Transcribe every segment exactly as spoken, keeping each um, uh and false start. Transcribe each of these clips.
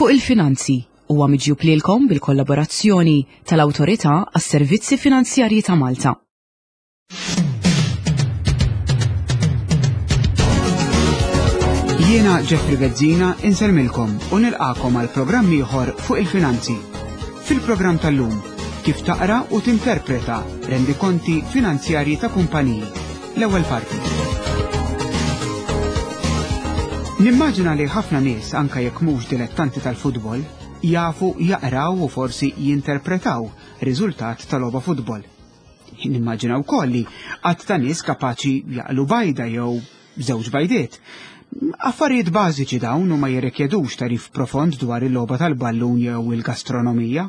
Fuq il-Finanzi huwa miġjub lilkom bil-kollaborazzjoni tal-Awtorità għas-Servizzi Finanzjarji ta' Malta. Jiena Jeffrey Bezzina insellmilkom u nilqakom għal programm ieħor fuq il-finanzi. Fil-programm tal-lum, kif taqra u tinterpreta rendikonti finanzjarji ta' kumpaniji. L-ewwel parti. Nimmaġina li ħafna nies anka jekk mhux dilettanti tal-futbol jafu jaqraw u forsi jinterpretaw riżultat tal-logħba futbol. Nimmaġina wkoll li għadd ta' nies kapaċi jaqlu bajda jew żewġ bajdiet. Affarijiet bażiċi dawn u ma jirrikjedux tarif profond dwar il-logħba tal-ballun jew il-gastronomija.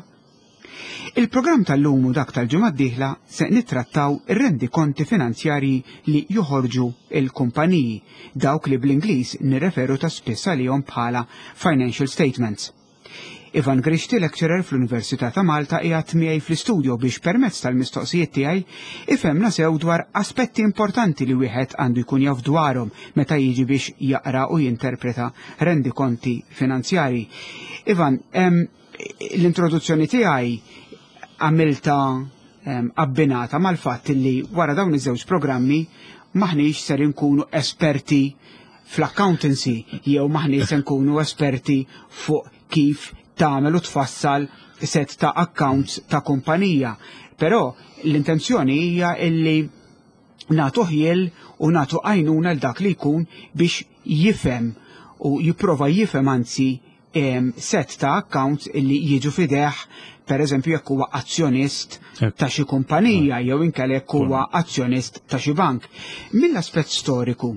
Il-programm tal-lum u dak tal-ġimgħa d-dieħla se nittrattaw ir-rendikonti finanzjarji li joħorġu il-kumpaniji, dawk li bl-Ingliż nirreferu ta' spiss għalihom bħala financial statements. Ivan Grixti, lecturer fl-Università ta' Malta, qiegħed miegħi fl-istudio biex permezz tal-mistoqsijiet tiegħi ifhemna sew dwar aspetti importanti li wieħed għandu jkun jaf dwarhom meta jiġi biex jaqra u jinterpreta rendikonti finanzjarji. Ivan, l-introduzzjoni tiegħi għamilta abbinata mal-fatt li wara dawn iż-żewġ programmi maħniex ser inkunu esperti fl-accountancy jew maħniex se nkunu esperti fuq kif tagħmel u tfassal set ta' accounts ta' kumpanija. Però l-intenzjoni hija illi nagħtu ħjiel u nagħtu għajnuna l dak li jkun biex jifhem u jipprova jifhem anzi set ta' accounts illi jiġu fideh, per eżempju jekk huwa azzjonist ta' xi kumpanija jew inkella jekk huwa azzjonist ta' xi bank. Mill-aspett storiku,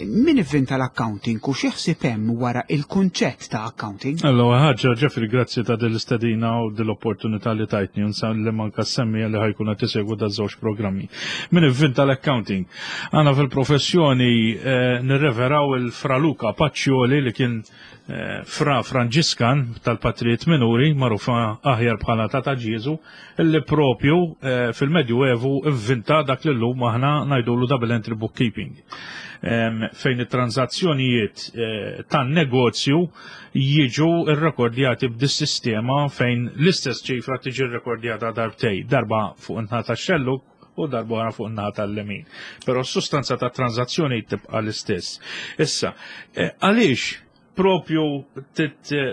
min ivvinta l-accounting u xi ħsieb hemm wara il-kunċett ta' accounting? Allora, ħaġa, Jeffrey, grazzi ta' dil-istedina u dil-opportunità li tajtni, unsan li manka semmi li ħajkun qed isegwu da' żewġ programmi. Min ivvinta l-accounting? Għana fil-professjoni eh, nirreveraw il-Fra Luca Pacioli li kien eh, fra Franġiskan tal-Patrijiet Minuri, magħrufa aħjar bħala Tata Ġieżu, illi propju eh, fil-Medju Evu ivvinta dak li llum aħna ngħidulu double entry bookkeeping. Em, fejn it-transazzjonijiet eh, tan-negozju jiġu rrekordjati b'dis-sistema fejn l-istess ċifra tiġi rrekordjata darbtej, darba fuq in-naħa tax-xellug u darba oħra fuq in-naħa tal-lemin. Però s-sustanza ta' transazzjoni tibqa' l-istess. Issa, eh, għaliex propju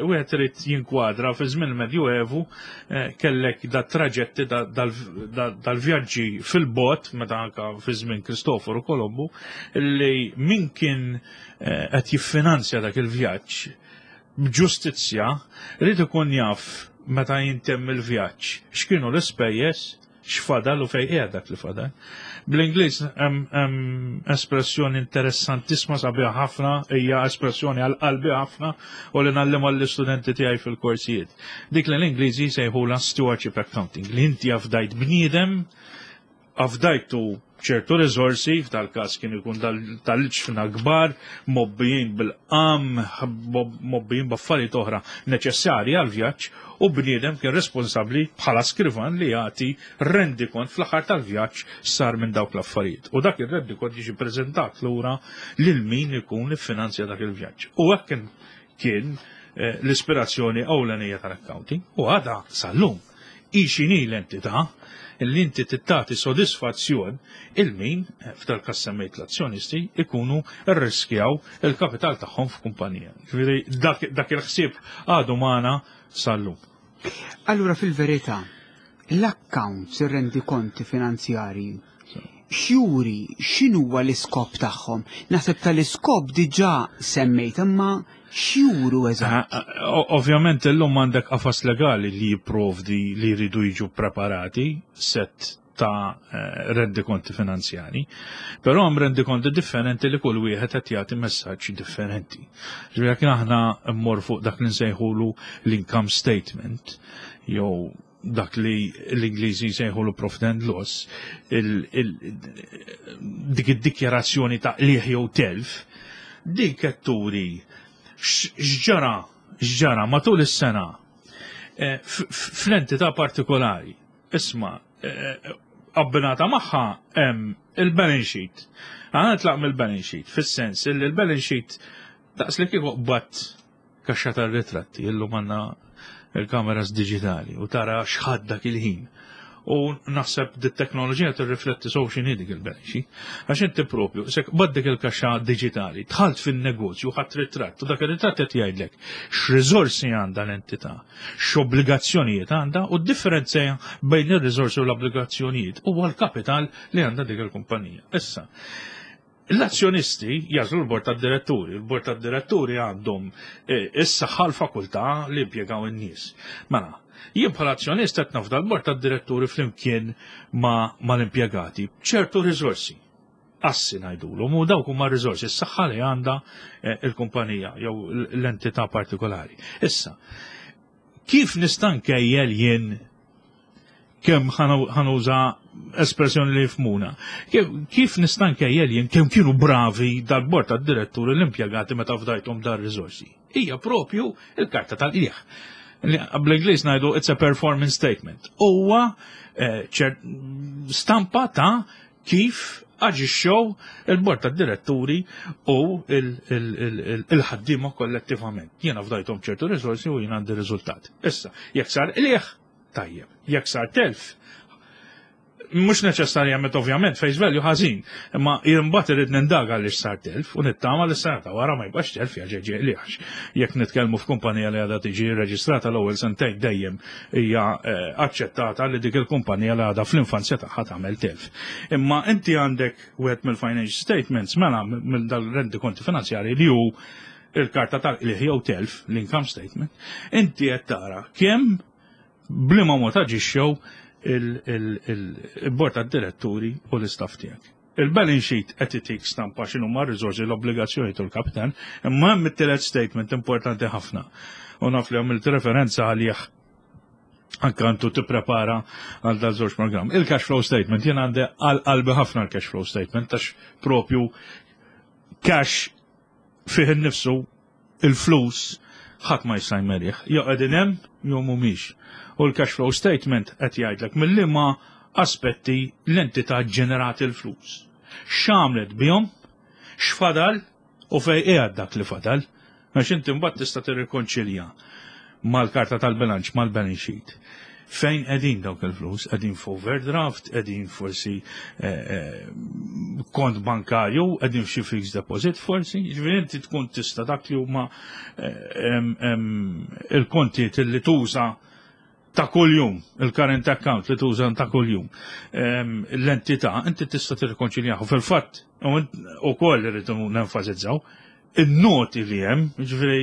wieħed irid jinkwadra fi żmien il-Medjuevu eh, kellek da traġetti dal-vjaġġi fil-bot meta anka fi żmien Kristoforu Kolombu li min kien eh, qed jiffinanzja dak il-vjaġġ b'ġustizzja rrid ikun jaf meta jintemm il-vjaġġ x'kienu l-ispejjeż, x'fadal u fejn qiegħed dak li fadal. Bl-Ingliż hemm espressjoni interessantissima sabiħa ħafna, hija espressjoni għal qalbi ħafna u li ngħallimha lill-istudenti tiegħi fil-korsijiet. Dik li l-Ingliżi jsejħulha stewardship accounting, li inti afdajt bniedem, afdajtu ċertu riżorsi, f'dal-każ kien ikun tal-ġfna kbar, mobbijin bil-qam, mobbijin b'affarijiet oħra neċessarji għal-vjaġġ, u bniedem kien responsabbli bħala skrivan li jagħti rendikont fl-aħħar tal-vjaġġ sar minn dawk l-affarijiet. U dak ir-rendikont jiġi preżentat lura lil min ikun iffinanzja dak il-vjaġġ. U hekk kien, kien eh, l-ispirazzjoni ewlenija tal-accounting u għadha sal-lum. Hi x'inhi l-entità li inti tittati sodisfazzjon il-min, eh, f'dal każ semmejt l-azzjonisti, ikunu rriskjaw il-kapital tagħhom f'kumpanija. Ġifieri dak, dak il-ħsieb għadu magħna sal-lum. Allura fil-verità, l-accounts, ir-rendikonti finanzjarji, x'juri x'inhuwa l-iskop tagħhom? Naħseb tal-iskop diġà semmejt, imma x'juru eżatt? Ah, ah, Ovvjament illum għandek qafas legali li jipprovdi li jridu jiġu preparati set ta' eh, rendikonti finanzjari, però hemm rendikonti differenti li kull wieħed qed jagħti messaġġ differenti. Ġifieri jekk aħna mmor fuq dak li nsejħulu l-income statement jew dak li l-Ingliżi jsejħulu profit and loss, il, il, dik id-dikjarazzjoni ta' qligħ jew telf, dik qed turi x'ġara x'ġara matul is-sena eh, fl-entità partikolari. Isma' eh, abbinata magħha hemm il-balance sheet. Għana nitlaq mill-balance sheet, fis-sens li l-balance sheet daqs li kieku qbadt Kaxxa tar-ritratti, illum għandna il-kameras digitali u tara x'ħadd dak il-ħin. U naħseb dit teknoloġija tirrifletti sew x'inhi dik il-balance sheet. Għax inti propju, sek baddek il-kaxxa digitali, dħalt fin-negozju, ħadt ritratt, u dak ir-ritratt qed jgħidlek x'riżorsi għandha l-entità, x'obbligazzjonijiet għandha u d-differenza bejn ir-riżorsi u l-obbligazzjonijiet huwa l-kapital li għandha dik il-kumpanija. Issa, l-azzjonisti jagħżlu l-bord tad-diretturi, il-bord tad-diretturi għandhom eh, is-saħħa, l-fakultà li impjegaw in-nies. Mela, jien bħala azzjonist qed nafda l-bord tad-diretturi flimkien ma' mal-impjegati b'ċertu riżorsi. Assi ngħidulhom, u dawk huma riżorsi, s-saħħa li għandha eh, il-kumpanija jew l-entità partikolari. Issa, kif nista' nkejjel jien kemm, ħa nuża espressjoni li jifhmuna, Kif, kif nista' nkejjel jien kemm kienu bravi dal-bord tad-diretturi, l-impjegati, meta fdajthom dar riżorsi? Hija propju il-karta tal-qligħ. Bl-Ingliż ngħidu it's a performance statement. Huwa eh, ċer- stampa ta' kif aġixxew il-bord tad-diretturi u il-ħaddiema kollettivament. Jiena fdajthom ċertu riżorsi u jien għandi riżultat. Issa, jekk sar qligħ, tajjeb. Jekk sar telf, mhux neċessarjament ovvjament face value ħażin, imma imbagħad irid nindaga għaliex sar telf u nittama li s-sena ta' wara ma jibqax telf jaġeġi qligħ. Jekk nitkellmu f'kumpanija li għadha tiġi reġistrata, l-ewwel sentejn dejjem hija eh, aċċettata li dik il-kumpanija li għadha fl-infanzja tagħha tagħmel telf. Imma inti għandek wieħed mill-financial statements, mela mill dal-rendi konti finanzjari li hu il-karta tal-qligħ jew telf, l-income statement, inti qed tara kemm b'liema mod aġixxew il-bord tad-diretturi u l-istaff tiegħek. Il-balance sheet qed itik stampa x'inhu ma' riżorsi, l-obbligazzjoni u l-kapital, imma hemm it-tielet statement importanti ħafna. U naf li għamilt referenza għalih anka għantu tipprepara għal dal żewġ program. Il-cash flow statement, jien għandi għal qalbi ħafna l-cash flow statement, għax propju cash fih innifsu, il-flus, ħadd ma jista' jmerih. Jew qegħdin hemm jew mhumiex. U l-cash flow statement qed jgħidlek mill-liema aspetti l-entità ġenerat il-flus. X'għamlet bihom, x'fadal u fej qiegħed dak li fadal. Għax inti mbagħad tista' tirrikonċilja mal-karta tal-bilanċ, mal-balance sheet. Fejn qegħdin dawk il-flus? Qegħdin f'overdraft, qegħdin forsi eh, eh, kont bankarju, qegħdin f'xi fixed deposit forsi, ġifieri inti tkun tista' dak li huma eh, em, em, il-kontijiet li tuża ta' kuljum, il-current account li tuża ta' kuljum. Em, L-entità, inti tista' tirrikonċiljahu. Fil-fatt, u koll irridu nenfasizzaw, il-noti li hemm, ġifieri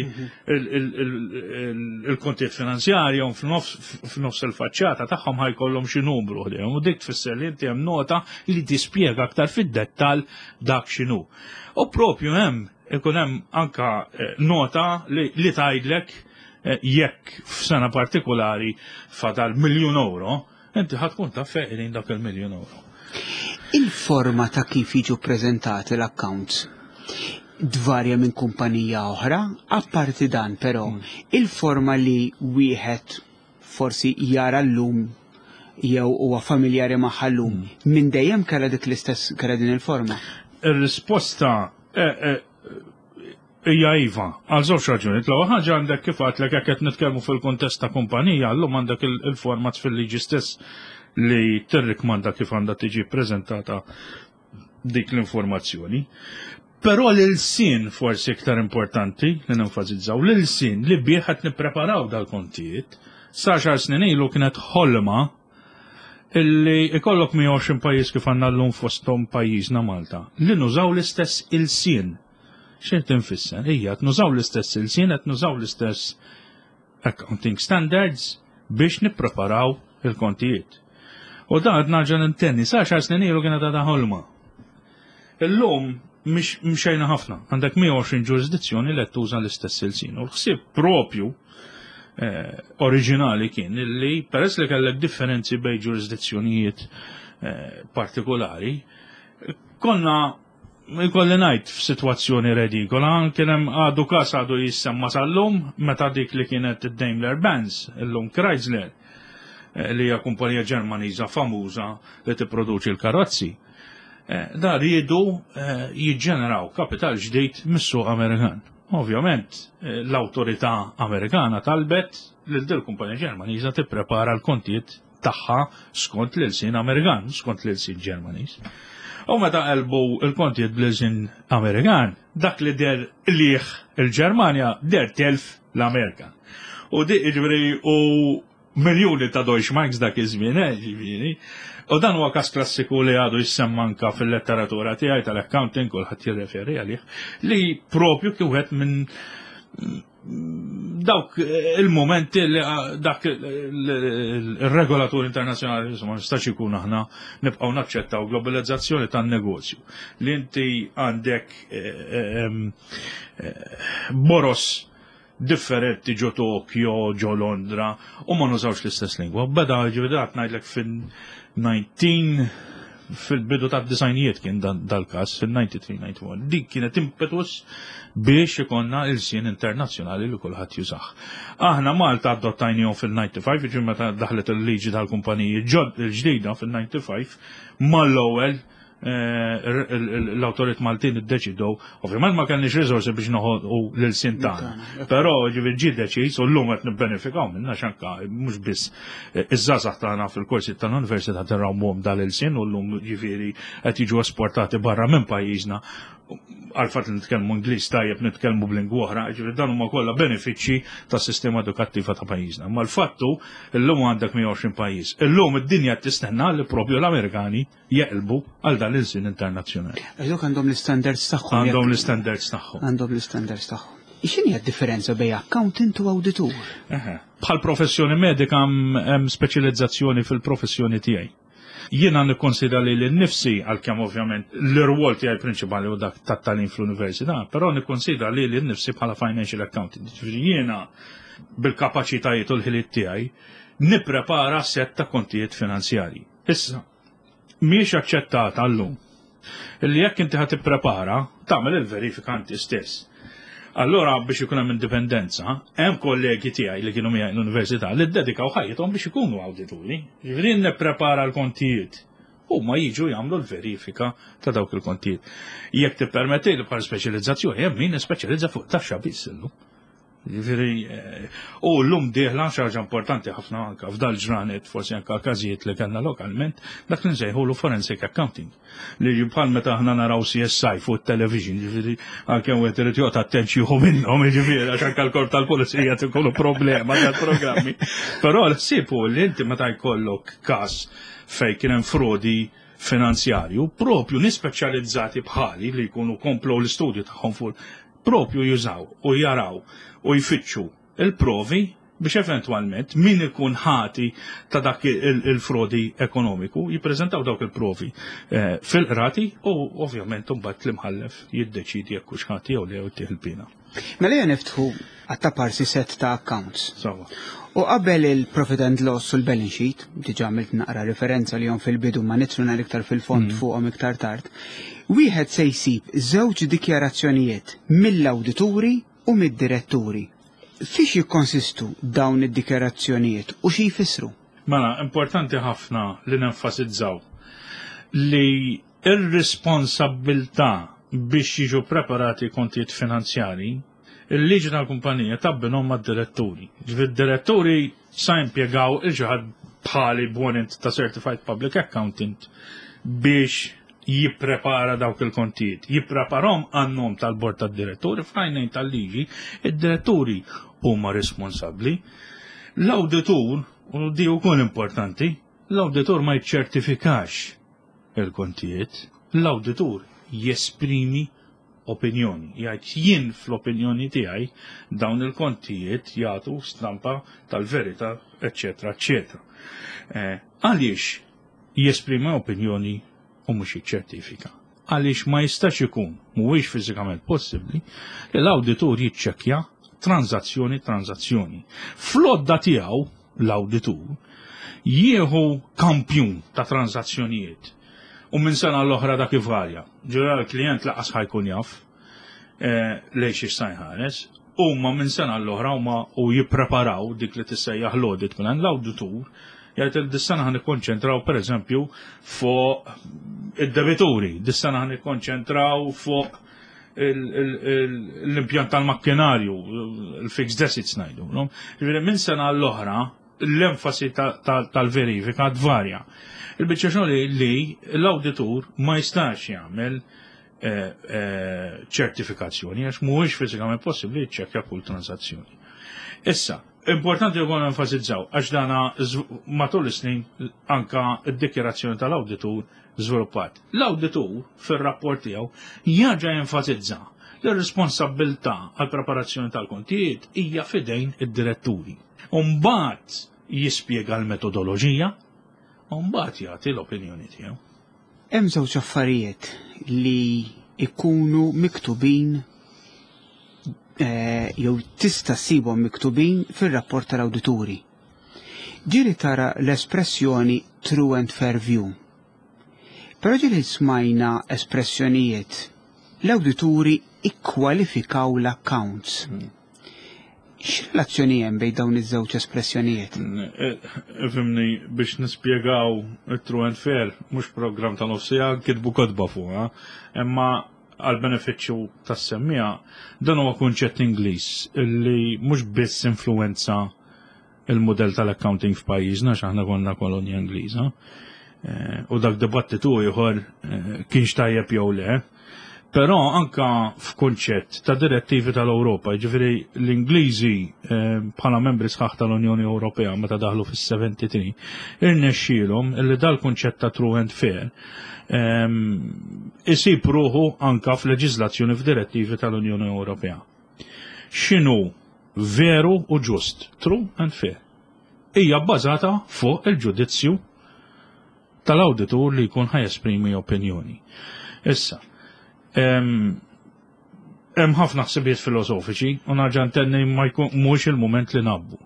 il-kontijiet finanzjarji f'nofs il-faċċata tagħhom ħa jkollhom xi numru ħdejhom u dik tfisser li inti hemm nota li tispjega aktar fid-dettall dak x'inhu. U propju hemm ikun hemm anka eh, nota li, li tgħidlek eh, jekk f'sena partikolari fadal miljun euro, inti ħa tkun taf fejn dak il-miljun euro. Il-forma ta' kif jiġu prezentati l-accounts dvarja minn kumpanija oħra, apparti dan però, il-forma li wieħed forsi jara llum jew huwa familjari magħha llum, minn dejjem kellha dik l-istess, kellha din il-forma? Ir-risposta eh, eh, hija iva, għal żewġ raġunijiet. L-ewwel ħaġa, għandek kif għedtlek, jekk qed nitkellmu fil-kuntest ta' kumpanija, llum għandek il- il-format fil-liġi stess li tirrikmanda kif għandha tiġi ppreżentata dik l-informazzjoni. Però l-ilsien forsi iktar importanti li nenfasizzaw, l-ilsien li bih qed nippreparaw dal-kontijiet, sa għaxar snin ilu kienet ħolma illi ikollok mija u għoxrin pajjiż kif għandna llum, fosthom pajjiżna Malta, li nużaw l-istess ilsien. Xejn tinfisser, hija qed nużaw l-istess ilsien, qed nużaw l-istess accounting standards biex nippreparaw il-kontijiet. U dan qed nerġa' nintenni, sa għaxar snin ilu kienet għadha ħolma. Illum mhix mxejna ħafna, għandek mija u għoxrin ġurisdizzjoni li qed tuża l-istess ilsien. U l-ħsieb propju eh, oriġinali kien illi peress li kellek differenzi bejn ġurisdizzjonijiet eh, partikolari, konna, ikolli ngħid, f'sitwazzjoni redikola, kien hemm għadu każ għadu jissemma sal-lum meta dik li kienet id-Daimler Benz, illum Chrysler, eh, li hija kumpanija Ġermaniża famuża li tipproduċi l-karozzi. Eh, Da riedu eh, jiġġeneraw kapital ġdid mis-suq Amerikan. Ovvjament, eh, l-awtorità Amerikana talbet lil dil kumpanija Ġermaniża tipprepara l-kontijiet tagħha skont l-ilsien Amerikan, skont l-ilsien Ġermaniż. U meta qalbu il-kontijiet bl-ilsien Amerikan, dak li deher qligħ il-Ġermanja deher telf l-Amerika. U di ġifieri u miljuni ta' Deutschmarks dak iż-żmien, eh, ġifieri. U dan huwa każ klassiku li għadu jissemma anka fil-letteratura tiegħi tal-accounting, kulħadd jirreferi għalih, li propju kien wieħed minn dawk il-momenti li dak il-regolatur internazzjonali, insomma, nistax ikun aħna nibqgħu naċċettaw globalizzazzjoni tan-negozju. Li inti għandek eh, eh, boros differenti ġo Tokyo, ġo Londra, u ma nużawx l-istess lingwa. Beda ġifieri ngħidlek fil-nineteen fil-bidu ta' disgħinijiet kien dal-kas, fil-tnejn u disgħin disgħa u disgħin. Dik kienet impetus biex ikollna ilsien internazzjonali li kulħadd jużah. Aħna Malta adottajnihom fil-ħamsa u disgħin, ġifieri meta daħlet il-liġi tal-kumpaniji il-ġdida fil-ħamsa u disgħin, mal-ewwel eh, l-awtorit Maltin iddeċidew, ovvjament ma kellniex riżorsi biex noħolqu l-ilsien tagħna. Però ġifieri ġie deċiż u llum qed nibbenefikaw minna xanka mhux biss iż-żgħażagħ tagħna fil-korsi tal-università terrawmuhom dal-ilsien u llum ġifieri qed jiġu esportati barra minn pajjiżna għal fatt li nitkellmu Ingliż tajjeb, nitkellmu b'lingwa oħra, ġifieri dan huma kollha benefiċċji tas-sistema edukattiva ta' pajjiżna. Ma l-fattu illum għandek mija u għoxrin pajjiż. Illum id-dinja tistenna li propju l-Amerikani jeqilbu għal dan l-ilsien internazzjonali. Għax għandhom l-standards tagħhom. Għandhom l-standards tagħhom. Għandhom l-standards tagħhom. X'inhi d-differenza bejn accountant u awditur? Bħal professjoni medika hemm speċjalizzazzjoni fil-professjoni tiegħi. Jiena nikkonsidra li l-nifsi, għalkemm ovvjament l-irwol tiegħi prinċipali u dak tat-tagħlim fl-università, però nikkonsidra li l-nifsi bħala financial accountant. Ġifieri jiena bil-kapaċitajiet u l-ħiliet tiegħi nipprepara set ta' kontijiet finanzjarji. Issa, mhijiex aċċettata llum illi jekk inti ħa tipprepara, tagħmel il-verifika inti stess. Allora biex ikun hemm indipendenza, hemm kollegi tiegħi li kienu miegħi l-università li ddedikaw ħajjithom biex ikunu awdituri. Ġifieri nipprepara l-kontijiet. Huma jiġu jagħmlu l-verifika ta' dawk il-kontijiet. Jekk tippermetti li bħal speċjalizzazzjoni, hemm min ispeċjalizza fuq taxxa biss illum. Ġifieri, eh, u llum dieħla xi ħaġa importanti ħafna anka f'dal ġranet, forsi anka każijiet li kellna lokalment, dak li nsejħulu forensic accounting. Li bħal meta aħna naraw C S I fuq television, ġifieri għalkemm wieħed irid joqgħod attent jieħu minnhom, ġifieri għax anke l-korp tal-pulizija tkunu problema tal-programmi. Però l-ħsieb hu li inti meta jkollok każ fejn kien hemm frodi finanzjarju, propju nispeċjalizzati bħali li jkunu komplu l-istudju tagħhom fuq propju jużaw u jaraw u jfittxu il-provi biex eventwalment min ikun ħati ta' dak il-frodi ekonomiku jippreżentaw dawk il-provi eh, fil-qrati u ovvjament mbagħad l-imħallef jiddeċidi jekk hux ħati jew le jew il-pina. Mela ejja niftħu għattaparsi set ta' accounts. Sawa. U qabel il-profit and loss u l-balance sheet, diġa għamilt naqra referenza li jom fil-bidu ma nidħlu nhar iktar fil-fond mm. fuqhom iktar tard, wieħed se jsib żewġ dikjarazzjonijiet mill-awdituri u mid-diretturi. Fiex jikkonsistu dawn id-dikjarazzjonijiet u xi jfissru? Mela, importanti ħafna li nenfasizzaw li ir-responsabbiltà biex jiġu preparati kontijiet finanzjari, il-liġi tal-kumpanija tabbinhom mad-diretturi. Ġifieri diretturi sa impjegaw il-ġaħad bħali b'warrant ta' Certified Public Accountant biex jipprepara dawk il-kontijiet. Jippreparahom għan-nom tal-bord tad-diretturi. F'għajnejn tal-liġi, id-diretturi huma responsabbli. L-awditur, u di wkoll importanti, l-awditur ma jiċċertifikax il-kontijiet, l-awditur jesprimi opinjoni. Jgħid jien fl-opinjoni tiegħi dawn il-kontijiet jagħtu stampa tal-verità, eċetera, eċetera. Eh, għaliex jesprimi opinjoni u mhux jiċċertifika? Għaliex ma jistax ikun, mhuwiex fiżikament possibbli, li l-awditur jiċċekkja tranzazzjoni tranzazzjoni. Fl-għodda tiegħu l-awditur jieħu kampjun ta' tranzazzjonijiet u minn sena l-oħra dak ivarja. Ġura l-klient lanqas ħa jkun jaf eh, lejn xiex sa jħares. Huma minn sena l-oħra huma u jippreparaw dik li tissejjaħ l-audit plan, l-awditur jgħid il dis-sena ħa nikkonċentraw pereżempju fuq id-debituri, dis-sena ħa nikkonċentraw fuq l-impjant tal-makkinarju, il-fixed assets ngħidu. Ġifieri minn sena l-oħra l-enfasi tal-verifika tvarja. Il-biċċa xogħol li l-awditur ma jistax jagħmel eh, eh, ċertifikazzjoni għax mhuwiex fiżikament possibbli jiċċekkja kull transazzjoni. Issa, importanti wkoll enfasizzaw għax dana matul is-snin anka d-dikjerazzjoni tal-awditur żviluppat. L-awditur fir-rapport tiegħu jerġa' jenfasizza li r-responsabbiltà għal preparazzjoni tal-kontijiet hija fidejn id-diretturi. Umbagħad jispjega l-metodoloġija, u mbagħad jagħti l-opinjoni tiegħu. Hemm żewġ affarijiet li ikunu miktubin eh, jew tista' ssibhom miktubin fir-rapport tal-awdituri. Ġieli tara l-espressjoni true and fair view. Però ġieli smajna espressjonijiet l-awdituri ikkwalifikaw l-accounts. Hmm. X'relazzjoni hemm bejn dawn iż-żewġ espressjonijiet? Ifhimni, biex nispjegaw it-true and fair, mhux programm ta' nofs siegħa, kitbu kotba fuqha, imma għal benefiċċju tas-semmiegħa dan huwa kunċett Ingliż illi mhux biss influenza il-modell tal-accounting f'pajjiżna, x'aħna konna kolonja Ingliża. Eh, u dak dibattitu ieħor eh, kienx tajjeb jew le. Però anka f'kunċett ta' direttivi tal-Ewropa, jiġifieri l-Ingliżi eh, bħala membri sħaħ tal-Unjoni Ewropea meta daħlu fis-tlieta u sebgħin, irnexxielhom illi dal-kunċett ta' true and fair ehm, isib ruħu anka f'leġiżlazzjoni, f'direttivi tal-Unjoni Ewropea. X'inhu veru u ġust, true and fair? Hija bbażata fuq il-ġudizzju tal-awditur li jkun ħa jesprimi opinjoni. Issa, hemm ħafna ħsibijiet filosofiċi u nerġa' ntenni, ma jkun mhux il-mument li nabbu.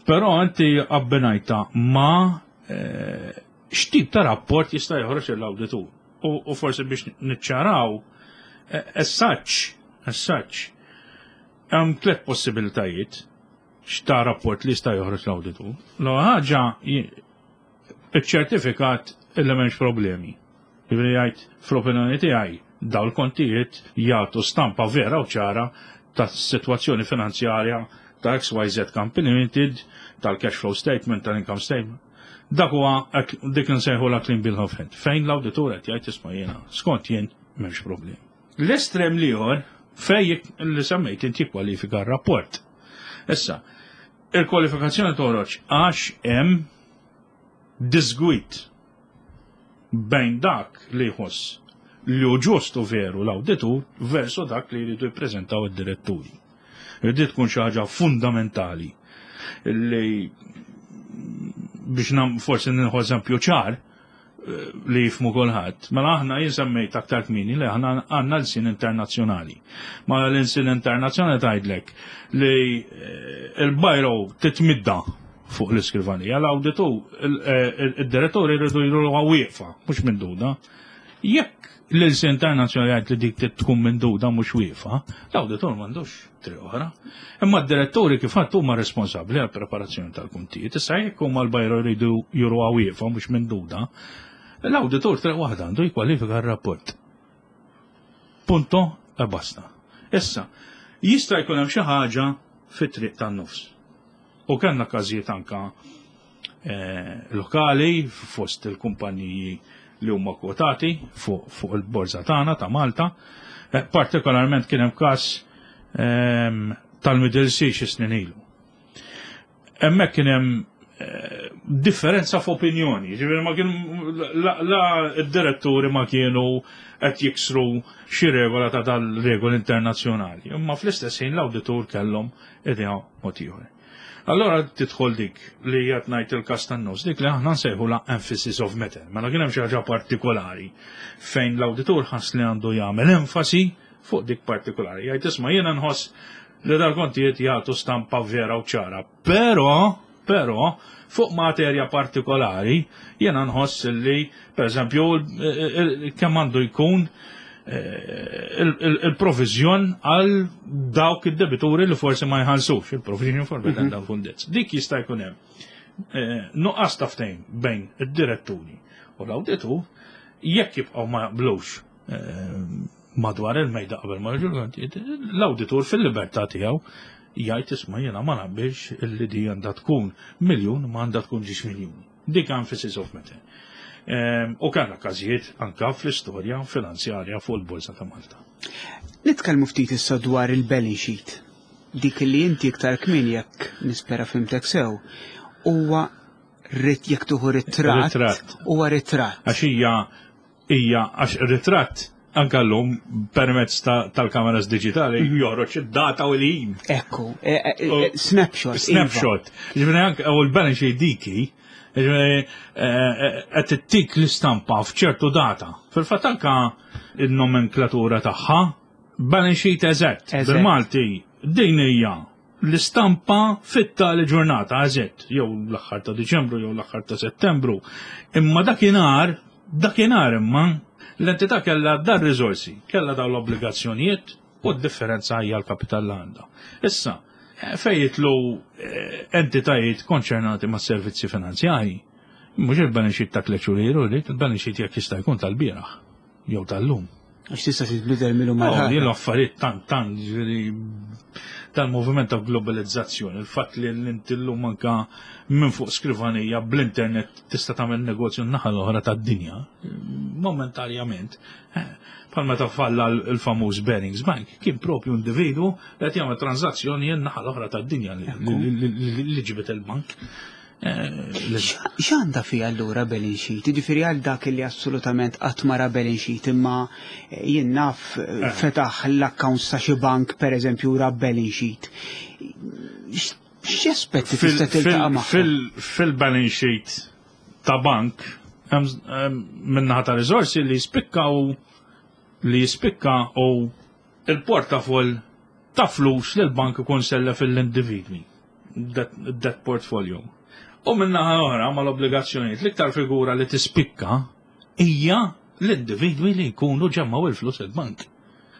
Però inti abbinajta ma eh, x'tip ta' rapport jista' joħroġ l-awditur. U forsi biex niċċaraw, eh, as such, as such, hemm tliet possibilitajiet x'ta' rapport li jista' joħroġ l-awditur. L ħaġa, iċ-ċertifikat illi m'hemmx problemi. Jiġifieri jgħid, fl-opinjoni tiegħi daw l-kontijiet jagħtu stampa vera u ċara ta' situazzjoni finanzjarja ta' X Y Z Company Limited, tal-cash flow statement, tal-income statement. Dak huwa dik nsejħu la clean bill of health. Fejn l-awditur qed jgħid, isma' jiena, skont jien m'hemmx problem. L-estrem l-ieħor fej li semmejt inti, kwalifika r-rapport. Issa, il-kwalifikazzjoni toħroġ għax hemm disgwit bejn dak li jħoss li hu ġust u veru l-awditur versu dak li jridu jippreżentaw id-diretturi. Irrid tkun xi ħaġa fundamentali li biex nam forsi nieħu eżempju ċar eh, li jifhmu kulħadd. Mela aħna, jien semmejt aktar kmieni li aħna għandna l-sin internazzjonali. Ma l-sin internazzjonali tgħidlek li eh, il-biro titmidda fuq l-iskrivanija, l-awditu, eh, id-direttori jridu jridu wieqfa, mhux mimduda. Jekk l-ilsien internazzjonali jgħid li dik tkun mimduda mhux wieqfa, l-awditur m'għandux triq oħra. Imma d-diretturi kif għedt huma responsabbli għal preparazzjoni tal-kuntijiet. Issa jekk huma l-biro jridu juruha wieqfa mhux mimduda, l-awditur triq waħda għandu, jikkwalifika r-rapport. Punto e basta. Issa, jista' jkun hemm xi ħaġa fit-triq tan-nofs. U kellna każijiet anka eh, lokali fost il-kumpaniji li huma kwotati fuq fu il-borża tagħna ta' Malta. Eh, partikolarment kien hemm każ ehm, tal-Middle Sea xi snin ilu. Hemmhekk kien hemm eh, differenza f'opinjoni, ġifieri ma kien la, la id-diretturi ma kienu qed jiksru xi regola ta' dal-regoli internazzjonali, imma fl-istess ħin l-awditur kellhom idea mod ieħor. Allora tidħol dik li qed ngħid, il-każ tan-nofs, dik li aħna nsejħu la emphasis of matter. Mela kien hemm xi ħaġa partikolari fejn l-awditur ħass li għandu jagħmel enfasi fuq dik partikolari. Jgħid, isma' jiena nħoss li dal-kontijiet jagħtu stampa vera u ċara, però però fuq materja partikolari jiena nħoss li per eżempju kemm għandu jkun eh, il-provizjon għal dawk id-debituri li forsi ma jħallsux, il-provision for bad and doubtful debts. Dik jista' jkun hemm eh, nuqqas ta' ftehim bejn id-diretturi u l-awditur. Jekk jibqgħu ma jaqblux eh, Madwar il-mejda qabel ma joħorġu l-awditur fil-libertà tiegħu jgħid isma' jiena ma naqbilx illi di għandha tkun miljun ma għandha tkun żewġ miljuni. Dik emphasis of matter. Ehm, u kellna każijiet anka fl-istorja finanzjarja fuq il-Borża ta' Malta. Nitkellmu ftit issa dwar il-balance sheet. Dik li inti iktar kmieni jekk nispera fhimtek sew, huwa rit jekk tieħu ritratt, Ritratt. huwa ritratt. Għax hija hija għax ritratt anka llum permezz ta- tal-kameras digitali joħroġ id-data u l-ħin. Ekku, e, e, e, snapshot. iva. Snapshot. Ġifieri anke u l-balance sheet diki, ġifieri qed ittik l-istampa f'ċertu data. Fil-fatt anka il-nomenklatura tagħha balance sheet eżatt. Eżatt. Bil-Malti din hija l-istampa fit-tali ġurnata eżatt, jew l-aħħar ta' Diċembru jew l-aħħar ta' Settembru. Imma dakinhar, dakinhar imma l-entità kellha dar riżorsi, kellha dawn l-obbligazzjonijiet u d-differenza hija l-kapital li għandha. Issa, eh, fejn jidħlu eh, entitajiet konċernati ma' servizzi finanzjari, mhux il-balance sheet ta' tliet xhur ilu, il-balance sheet jekk jista' jkun tal-bieraħ jew tal-lum. Għax tista' titbidel mill-lum Oh, għal Jien l-affarijiet tant tant ġifieri tal-moviment ta' globalizzazzjoni, il-fatt li l-inti llum anka minn fuq skrivanija bl-internet tista' tagħmel negozju n-naħa l-oħra tad-dinja, momentarjament. eh, Bħal meta falla l-famuż Barings Bank, kien propju individu li qed jagħmel transazzjoni n-naħa l-oħra tad-dinja li- li- li li ġibet il-bank. Eh, li- X'għandha fiha allura balance sheet? Jiġifieri għal dak li assolutament qatt ma ra balance sheet imma eh, jien naf eh, fetaħ l-accounts ta' xi bank pereżempju ra balance sheet. X- X'aspetti fil- tista' tiltaqa' fil- magħhom? fil- Fil-balance sheet ta' bank, hemm hemm min-naħa ta' riżorsi li jispikkaw li jispikka u il-portafol ta' flus li l-bank ikun sellef lill-individwi. That, that portfolio. U min-naħa oħra mal-obbligazzjonijiet l-iktar figura li tispikka hija l-individwi li jkunu ġemmgħu il-flus il-bank.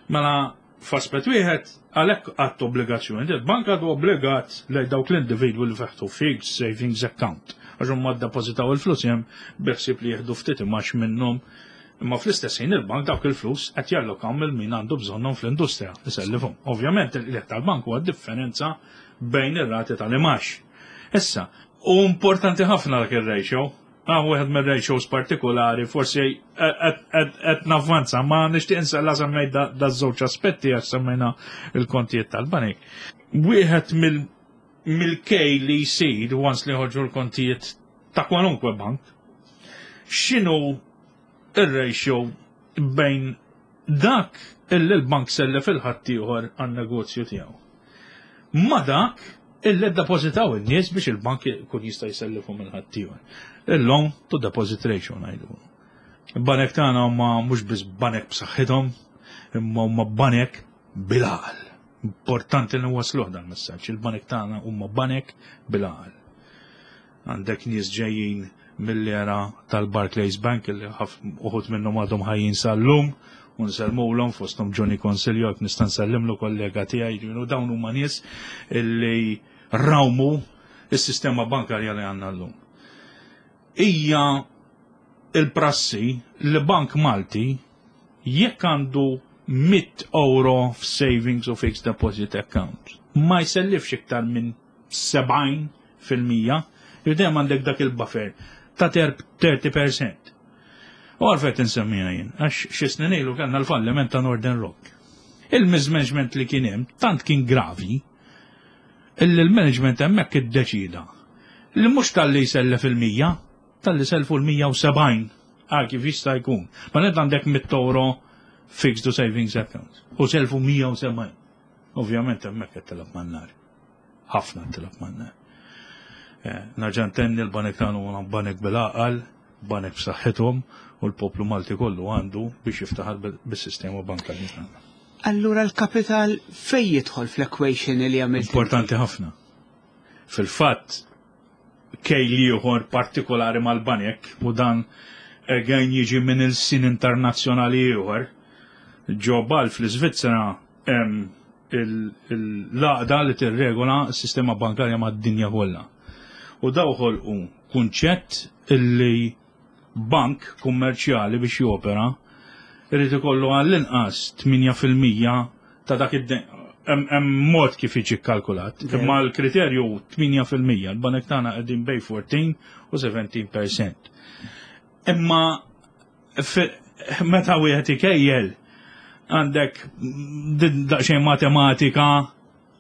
Mela f'aspett wieħed għalhekk għadd obbligazzjoni. Il-bank għadu obbligat lejn dawk l-individwi li fetħu fixed savings account. Għax huma ddepożitaw il-flus hemm biħsieb li jieħdu ftit imgħax minnhom. Imma fl-istess ħin il-bank dawk il-flus qed jallokaw lil min għandu bżonnhom fl-industrija isellifhom. Ovvjament il-qligħ tal-bank huwa differenza bejn ir-rati tal-imgħax. Issa, u importanti ħafna dak ir-ratio, Ah, wieħed mir-ratios partikolari, forsi qed navvanza, ma nixtieq insella semmejt da da żewġ aspetti għax semmejna il-kontijiet tal-banek. Wieħed mill mill-kej li jsir once li ħorġu l-kontijiet ta' kwalunkwe bank, x'inhu ir-ratio bejn dak illi l-bank sellef lil ħaddieħor għan-negozju tiegħu. Ma dak illi ddepożitaw in-nies biex il-bank ikun jista' jsellifhom lil ħaddieħor. Il-loan to deposit ratio ngħidu. Il-banek tagħna huma mhux biss banek b'saħħithom, imma huma banek bil-għaqal. Importanti li wasluh dan messaġġ. Il-banek tagħna huma banek bil-għaqal. Għandek nies ġejjin mill-era tal-Barclays Bank li uħud minnhom għadhom ħajjin sal-lum u nsellmulhom fosthom Johnny Consilio jekk nista' nsellimlu kollega tiegħi, jiġifieri dawn huma nies illi rawmu is-sistema bankarja li għandna llum. Hija il-prassi li Bank Malti jekk għandu mitt euro f'savings u fixed deposit account ma jsellifx iktar minn sebgħin fil-mija, dejjem għandek dak il-buffer ta' tletin fil-mija. U għalfejn insemmija jien, għax xi snin ilu kellna l-falliment ta' Northern Rock. Il-mismanagement li kien hemm tant kien gravi illi l-management hemmhekk iddeċida li mhux talli jsellef il-mija, talli selfu l-mija u sebgħin għal kif jista' jkun. Ma net għandek mitt euro fixed to savings account u selfu mija u sebgħin. Ovvjament hemmhekk qed tilgħab man-nar. Ħafna tilgħab man-nar. Eh, Nerġa' ntenni l-banek tagħna huma banek bil-għaqal, banek b'saħħithom u l-poplu Malti kollu għandu biex jiftaħar bis-sistema bankarja tagħna. Allura l-kapital fej jidħol fl-equation li għamilt? Importanti ħafna. Fil-fatt, kejl ieħor partikolari mal-banek u dan again jiġi minn il-sin internazzjonali ieħor. Ġo Basel fl-Iżvizzera hemm l-għaqda li tirregola s-sistema bankarja mad-dinja kollha. U daw ħolqu kunċett illi bank kummerċjali biex jopera irid ikollu għall-inqas tmienja fil-mija ta' dak id Hemm mod kif jiġi kkalkulat, imma l-kriterju tmienja fil-mija, l-banek tagħna qegħdin bejn erbatax u sittax fil-mija. Imma meta wieħed ikejjel, għandek daqsxejn matematika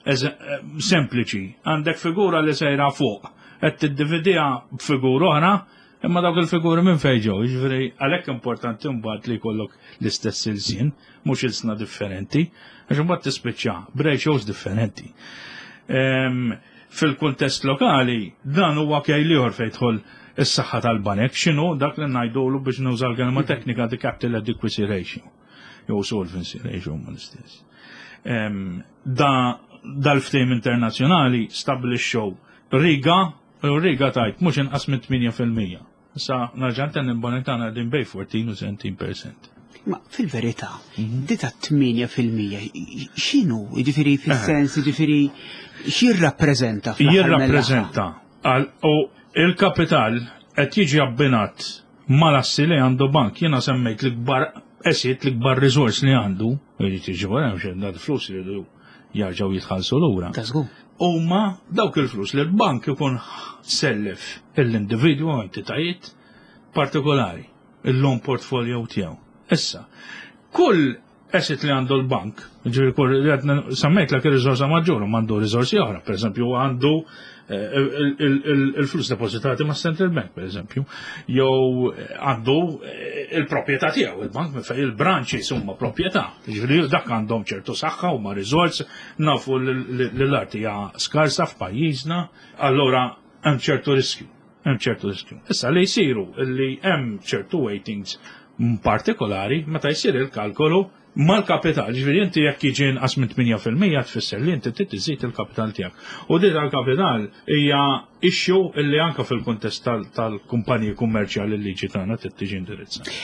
sempliċi, għandek figura li sejra fuq, qed tiddividiha b'figura oħra, imma dawk il-figuri minn fejn ġew, jiġifieri għalhekk importanti mbagħad li jkollok l-istess ilsien, mhux ilsna differenti, għax imbagħad tispiċċa b'ratios differenti. Fil-kuntest lokali, dan huwa kejl ieħor fejn tidħol is-saħħa tal-banek, x'inhu dak li ngħidulu, biex nuża l-kelma teknika, the capital adequacy ratio. Jew solvency ratio, ma l-istess. Da dal-ftehim internazzjonali stabbilixxew riga, u riga tajt mhux inqas minn tmienja fil-mija. Issa nerġa' ntenni, l-banek tagħna qegħdin bejn erbatax u sittax fil-mija. Ma fil-verità, di ta' tmienja fil-mija, x'inhu, jiġifieri fis-sens, jiġifieri x'jirrappreżenta? Jirrappreżenta u il-kapital qed jiġi abbinat mal-assi li għandu bank. Jiena semmejt l-ikbar asset, l-ikbar resource li għandu, jiġi tiġi wara hemm flus li jarġgħu jitħallsu lura. Huma dawk il-flus li l-bank ikun sellef l-individwu u entitajiet partikolari, il-loan portfolio tiegħu. Issa, kull asset li għandu l-bank, ġifieri kull semmejt l riżorsa maġġur, għandu riżorsi oħra, per eżempju għandu eh, il-flus depositati ma' Central Bank, per eżempju, jew għandu eh, il-proprjetà tiegħu, il-bank minn fejn il-branches huma proprjetà. Ġifieri dak għandhom ċertu saħħa, huma riżors, nafu li l-art hija skarsa f'pajjiżna, allura hemm ċertu riskju. Hemm ċertu riskju. Issa li jsiru li hemm ċertu weightings partikolari meta jsir il-kalkolu mal-kapital, ġifieri inti jekk jiġi inqas minn tmienja fil-mija tfisser li inti trid iżid il-kapital tiegħek. U din tal-kapital hija issue illi anke fil-kuntest tal-kumpaniji kummerċjali l-liġi tagħna trid tiġi indirizzata.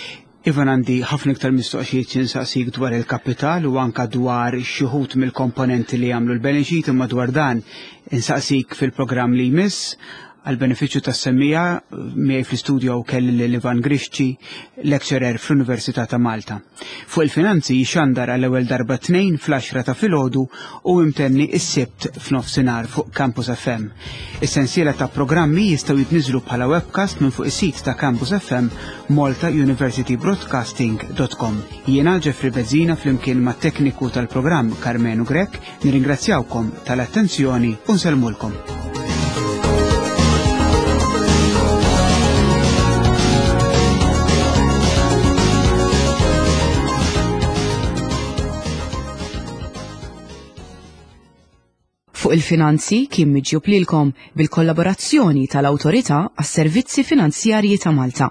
Ivan, għandi ħafna iktar mistoqsijiet nsaqsik dwar il-kapital u anka dwar xi wħud mill-komponenti li jagħmlu l-balance sheet, imma dwar dan insaqsik fil-programm li jmiss. Għal benefiċċju tas-semmiegħa, miegħi fl-istudio kelli lil Ivan Grixti, lecturer fl-Università ta' Malta. Fuq il-Finanzi jixandar għall ewwel darba Tnejn fl-għaxra ta' filgħodu u imtenni is-Sibt f'nofsinhar fuq Campus F M. Is-sensiela ta' programmi jistgħu jitniżlu bħala webcast minn fuq is-sit ta' Campus F M, malta university broadcasting dot com. Jiena Jeffrey Bezzina, flimkien ma' tekniku tal-programm Carmenu Grek, nirringrazzjawkom tal-attenzjoni u nsellmulkom. Fuq il-Finanzi kien miġjub lilkom bil-kollaborazzjoni tal-Awtorità għas-Servizzi Finanzjarji ta' Malta.